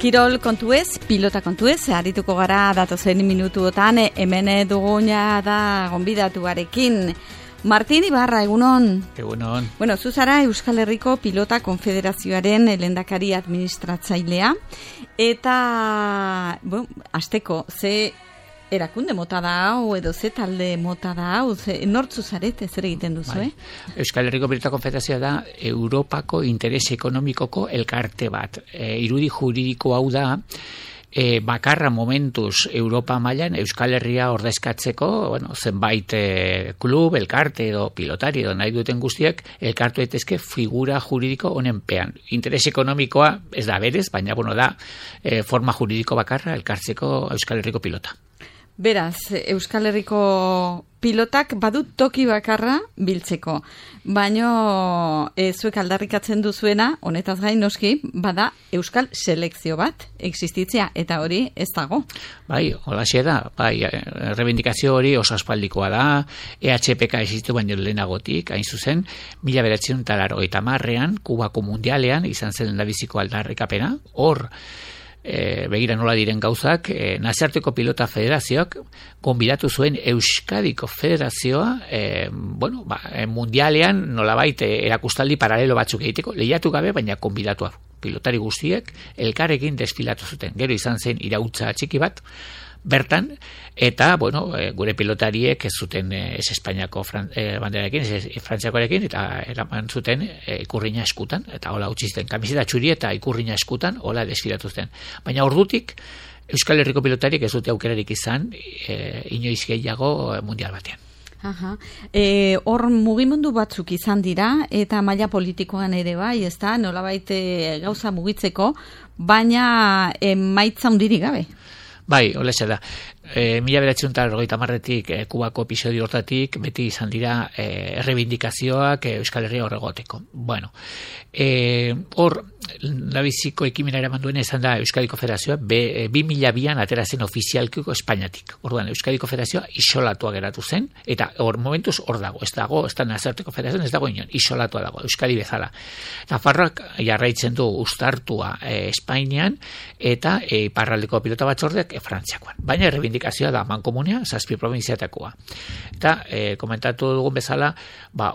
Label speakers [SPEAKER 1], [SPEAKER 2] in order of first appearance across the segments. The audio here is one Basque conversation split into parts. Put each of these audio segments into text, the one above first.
[SPEAKER 1] Kirol kontuez, pilota kontuez, arituko gara datozen minutuotan, hemen duguna da gonbidatuarekin. Martin Ibarra, egunon.
[SPEAKER 2] Egunon.
[SPEAKER 1] Bueno, zuzara Euskal Herriko Pilota Konfederazioaren lehendakari administratzailea. Eta, hasteko, ze erakunde mota da hau, edo ze talde mota da hau, nortzu zarete, zer egiten duzu,
[SPEAKER 2] Euskal Herriko Pilota Konfederazioa da Europako interes ekonomikoko elkarte bat. Irudi juridiko hau da, bakarra momentuz Europa mailan Euskal Herria ordezkatzeko, zenbait klub, elkarte edo pilotari edo nahi duten guztiak elkartu daitezke figura juridiko honen pean. Interes ekonomikoa ez da berez, baina da forma juridiko bakarra elkartzeko Euskal Herriko pilota.
[SPEAKER 1] Beraz, Euskal Herriko pilotak badut toki bakarra biltzeko, baino zuek aldarrikatzen duzuena, honetaz gain noski, bada Euskal selekzio bat existitzea, eta hori ez dago.
[SPEAKER 2] Bai, holaxe da, rebindikazio hori oso aspaldikoa da, EHPK existitu baino lehenagotik, hain zuzen, 1980ean, Kubako mundialean, izan zen lehendabiziko aldarrikapena, hor, begira nola diren gauzak, nazioarteko pilota federazioak konbidatu zuen Euskadiko federazioa mundialean nolabait erakustaldi paralelo batzuk egiteko, lehiatu gabe, baina konbidatua pilotari guztiek elkarrekin desfilatu zuten. Gero izan zen irautza txiki bat bertan, eta, gure pilotariek ez zuten ez Espainiako banderarekin, ez Frantziakoarekin, eta eraman zuten ikurrina eskutan, eta hola utzi zuten kamiseta txuri eta ikurrina eskutan, hola desfilatu zuten. Baina ordutik, Euskal Herriko pilotariek ez dute aukerarik izan, inoiz gehiago mundial batean.
[SPEAKER 1] Hor mugimendu batzuk izan dira, eta maila politikoan ere bai, ez da, nolabait gauza mugitzeko, baina emaitza hundirik gabe.
[SPEAKER 2] Bai, hola da. 1980etik Kubako episodio hortatik beti izan dira errebindikazioak Euskal Herria horregoteko. Hor, labiziko ekimena eraman duen izan da Euskadiko Federazioa 2002an atera zen ofizialkiko Espainiatik. Orduan, Euskadiko Federazioa isolatua geratu zen, eta hor momentuz hor dago, ez da nazioarteko federazioan, ez dago inon, isolatua dago, Euskadi bezala. Nafarroak jarraitzen du uztartua Espainian, eta iparraldeko pilota batzordeak Frantziakoan. Baina errebindikazioa da mankomunea, 7 probintziatakoa. Eta komentatu dugun bezala,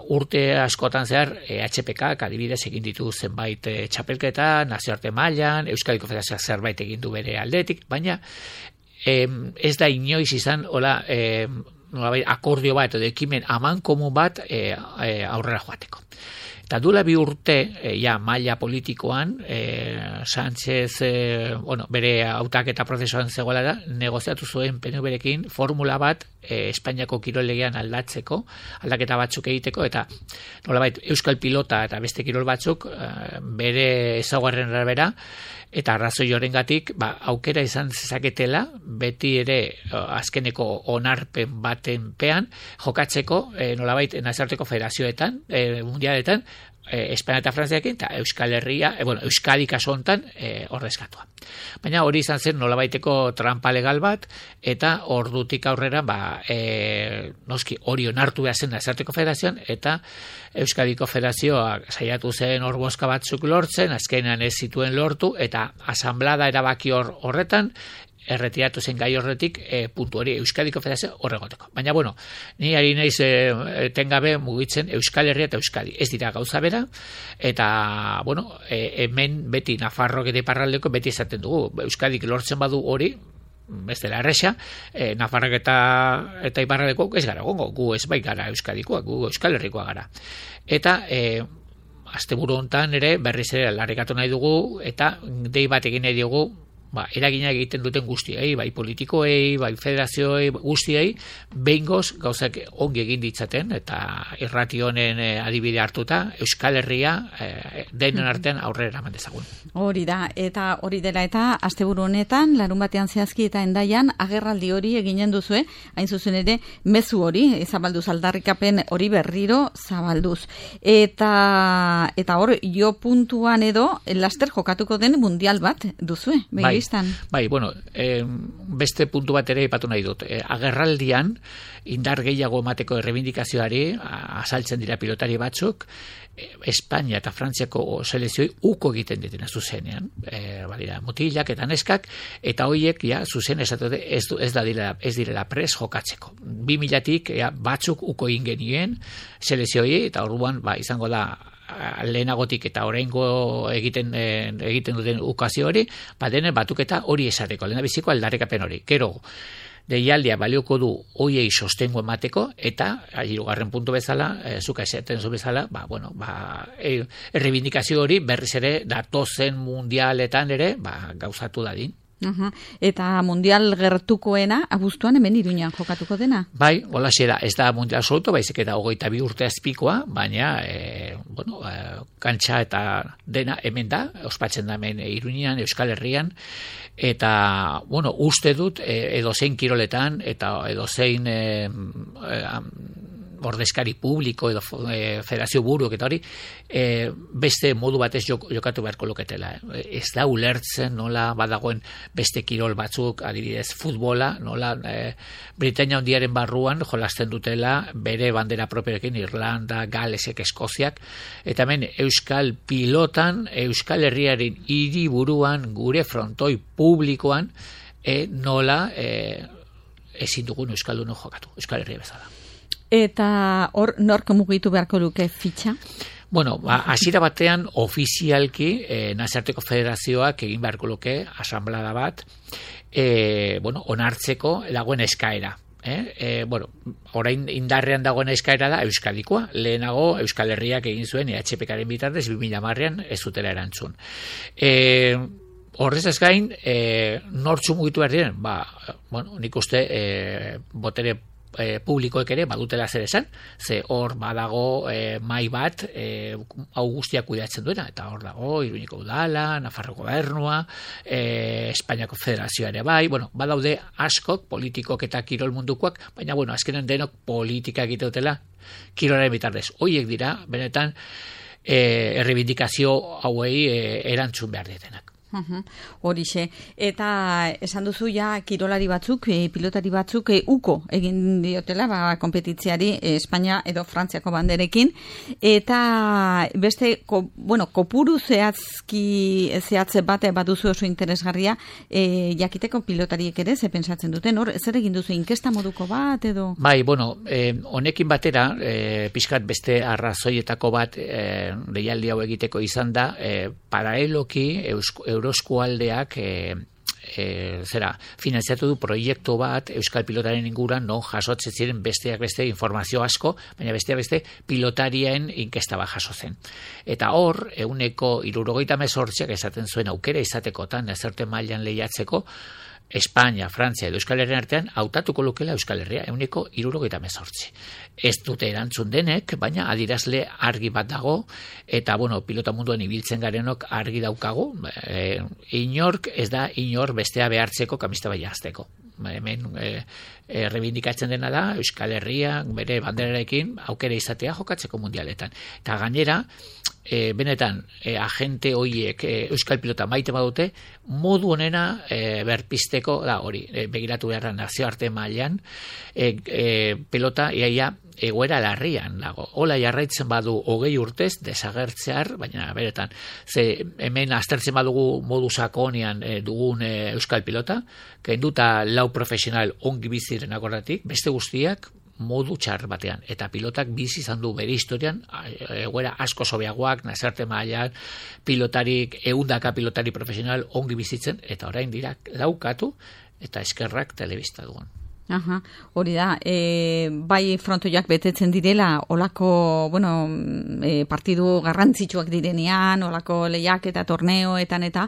[SPEAKER 2] urte askotan zehar HPK adibidez egin ditu zenbait txapelketa, nazioarte mailan, Euskadiko Federazioak zerbait egin du bere aldetik, baina ez da inoiz izan akordio bat edo ekimen amankomun bat aurrera joateko. Eta duela 2 urte, maila politikoan, Sánchez, bere hautaketa prozesuan zegoela da, negoziatu zuen PNV-rekin formula bat Espainiako kirol legean aldaketa batzuk egiteko, eta nolabait Euskal Pilota eta beste kirol batzuk bere ezaugarrien arabera, eta arrazoi horrengatik aukera izan zezaketela, beti ere azkeneko onarpen baten pean, jokatzeko nolabait nazioarteko federazioetan, mundialetan, Espainia eta Frantziarekin, eta Euskal Herria, Euskadi kasu hontan ordezkatua. Baina hori izan zen nolabaiteko trampa legal bat, eta ordutik aurrera, noski hori onartu behar zen nazioarteko federazioan, eta Euskadiko federazioa saiatu zen hor bozka batzuk lortzen, azkenean ez zituen lortu, eta asanblada erabaki horretan, erretiratu zen gai horretik puntu hori Euskadiko Federazio horregoteko. Baina, ni ari naiz tengabe mugitzen Euskal Herria eta Euskadi. Ez dira gauza bera, eta, hemen beti Nafarrok eta iparraldeko beti esaten dugu. Euskadik lortzen badu hori, ez dela erresa, Nafarrok eta iparraldeko ez gara gongo, gu ez bai gara Euskadikoak, gu Euskal Herrikoa gara. Eta, asteburu hontan ere berriz ere aldarrikatu nahi dugu, eta dei bat egin nahi dugu, eraginak egiten duten guztiei, bai politikoei, bai federazioei, guztiei, behingoz gauzak ongi egin ditzaten, eta irrati honen adibide hartuta, Euskal Herria denen artean aurrera eraman dezagun.
[SPEAKER 1] Hori da, eta hori dela eta asteburu honetan, larun batean zehazki eta endaian, agerraldi hori eginen duzue, hain zuzen ere, mezu hori, zabalduz aldarrikapen hori berriro zabalduz. Eta hor, jo puntuan edo, laster jokatuko den mundial bat duzue,
[SPEAKER 2] Bai,
[SPEAKER 1] telebistan.
[SPEAKER 2] Bai, bueno, beste puntu bat ere ipatu nahi dut. Agerraldian, indar gehiago emateko errebindikazioari azaltzen dira pilotari batzuk, Espainia eta Frantziako selekzioi uko egiten ditena zuzenean. Badira, mutilak eta neskak, eta hoiek ja zuzen esatu ez direla pres jokatzeko. 2000-tik batzuk uko egin genien selekzioi, eta orduan izango da lehenagotik eta oraingo egiten duten ukazio hori, denen batuketa hori esateko, lehendabiziko aldarrikapen hori. Gero, deialdia balioko du hoiei sostengo emateko, eta hirugarren puntu bezala, zuka esaten zu bezala, errebindikazio hori berriz ere datozen mundialetan ere gauzatu dadin.
[SPEAKER 1] Eta mundial gertukoena abuztuan hemen Iruñan jokatuko dena?
[SPEAKER 2] Bai, holaxe da, ez da mundial absoluto, baizik eta 22 urte azpikoa, baina kantxa eta dena hemen da, ospatzen da hemen Iruñan, Euskal Herrian, eta, uste dut edozein kiroletan eta edozein ordezkari publiko edo federazio buruak eta hori beste modu batez jokatu beharko luketela. Ez da ulertzen nola badagoen beste kirol batzuk, adibidez futbola, nola Britainia Handiaren barruan jolasten dutela bere bandera propioekin Irlanda, Galesek, Eskoziak, eta hemen euskal pilotan, Euskal Herriaren hiriburuan, gure frontoi publikoan nola ezin dugun euskaldun jokatu, Euskal Herria bezala.
[SPEAKER 1] Eta hor nork mugitu beharko luke fitxa?
[SPEAKER 2] Hasiera batean ofizialki Nazioarteko Federazioak egin beharko luke asanblada bat, onartzeko dagoen eskaera. Orain indarrean dagoen eskaera da Euskadikoa. Lehenago Euskal Herriak egin zuen EHPKaren bitartez 2010an ez zutela erantzun. Horrez ez gain, nortzu mugitu behar diren? Nik uste botere publikoek ere badutela zer esan, ze hor badago mai bat hau guztiak kudeatzen duena, eta hor dago Iruñeko udala, Nafarro gobernua, Espainiako Federazioa ere bai, badaude askok, politikok eta kirol mundukoak, baina azkenen denok politika egite dutela kirolaren bitartez. Hoiek dira, benetan, errebindikazio hauei erantzun behar dietenak.
[SPEAKER 1] Horixe, eta esan duzu kirolari batzuk, pilotari batzuk uko egin diotela konpetitziari Espainia edo Frantziako banderekin, eta beste kopuru zehatze bate baduzu oso interesgarria jakiteko pilotariek ere ze pentsatzen duten, hor zer egin duzu inkesta moduko bat edo? Bai,
[SPEAKER 2] honekin batera pixkat beste arrazoietako bat deialdi hau egiteko izan da paraleloki Euroskualdeak finanziatu du proiektu bat Euskal pilotaren inguruan non jasotzen ziren besteak beste informazio asko, baina besteak beste pilotarien inkesta bat jaso zen. Eta hor, 78%ak esaten zuen aukera izatekotan ezerte mailan lehiatzeko, Espainia, Frantzia edo Euskal Herrian artean hautatuko lukela Euskal Herria 78%. Ez dute erantzun denek, baina adirazle argi bat dago, eta pilota munduan ibiltzen garenok argi daukagu, inork ez da inor bestea behartzeko kamista bai jazteko. Hemen errebindikatzen dena da Euskal Herria bere banderarekin aukera izatea jokatzeko mundialetan. Eta gainera, benetan agente horiek Euskal pilota maite badute, modu honena berpisteko da hori, begiratu beharra nazioarte mailan pelota iaia egoera larrian dago. Hola jarraitzen badu 20 urtez desagertzear, baina beretan, ze hemen aztertzen badugu modu sakonean dugun Euskal pilota, kenduta 4 profesional ongi biziren akordatik, beste guztiak modu txar batean, eta pilotak bizi izan du bere historian egoera asko sobeagoak, nazarte mailan pilotarik, 100 pilotari profesional ongi bizitzen, eta orain dira daukatu eta eskerrak telebista dugun.
[SPEAKER 1] Hori da, bai frontoiak betetzen direla, olako, partidu garrantzitsuak direnean, olako lehiak eta torneoetan eta,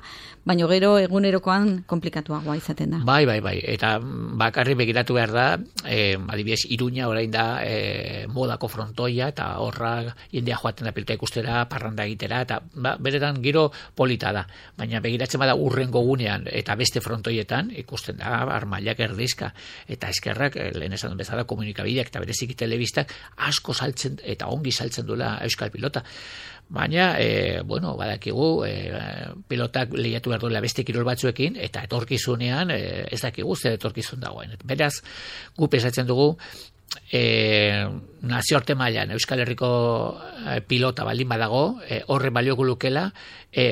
[SPEAKER 1] baina gero egunerokoan komplikatuagoa izaten da.
[SPEAKER 2] Bai, eta bakarri begiratu behar da, adibidez, Iruña orain da modako frontoia, eta horra jendea joaten da pilota ikustera, parranda egitera, eta beretan giro polita da, baina begiratzen bada urrengo gunean, eta beste frontoietan ikusten da, armailak erdizka, eta eskerrak, lehen esan bezala komunikabideak eta bereziki telebistak asko saltzen eta ongi saltzen duela euskal pilota. Baina, badakigu, pilotak lehiatu behar duela beste kirol batzuekin, eta etorkizunean ez dakigu zer etorkizun dagoen. Beraz, gu pesatzen dugu, nazioarte mailan Euskal Herriko pilota baldin badago, horre balioko lukela,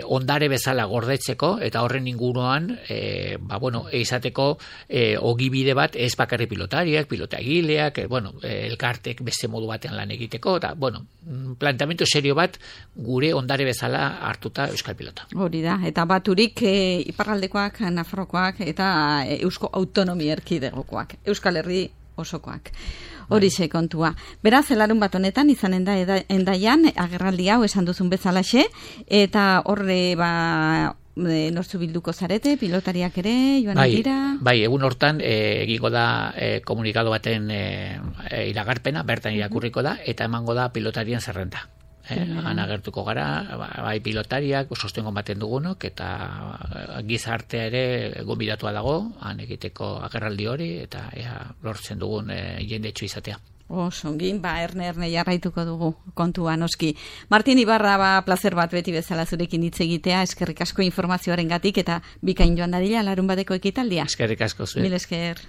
[SPEAKER 2] ondare bezala gordetzeko, eta horren inguruan, izateko ogibide bat ez bakarri pilotariak, pilotagileak, elkartek beste modu batean lan egiteko, eta, planteamendu serio bat gure ondare bezala hartuta Euskal pilota.
[SPEAKER 1] Hori da, eta baturik iparraldekoak, Nafarrokoak, eta Eusko Autonomia Erkidegokoak, Euskal Herri osokoak. Horixe kontua. Beraz, larun bat honetan izanen da Hendaian agerraldi hau esan duzun bezalaxe, eta horre nortzu bilduko zarete, pilotariak ere, joan dira?
[SPEAKER 2] Bai, egun hortan egingo da komunikado baten iragarpena, bertan irakurriko da, eta emango da pilotarien zerrenda. Han agertuko gara, bai pilotariak, sostengo baten dugunok, eta gizartea ere gonbidatua dago, han egiteko agerraldi hori, eta lortzen dugun jendetxo izatea.
[SPEAKER 1] Osongin, erne jarraituko dugu kontua noski. Martin Ibarra, plazer bat beti bezala zurekin hitz egitea, eskerrik asko informazioaren gatik, eta bikain joan dadila larun bateko ekitaldia.
[SPEAKER 2] Eskerrik asko zuen.
[SPEAKER 1] Mil esker.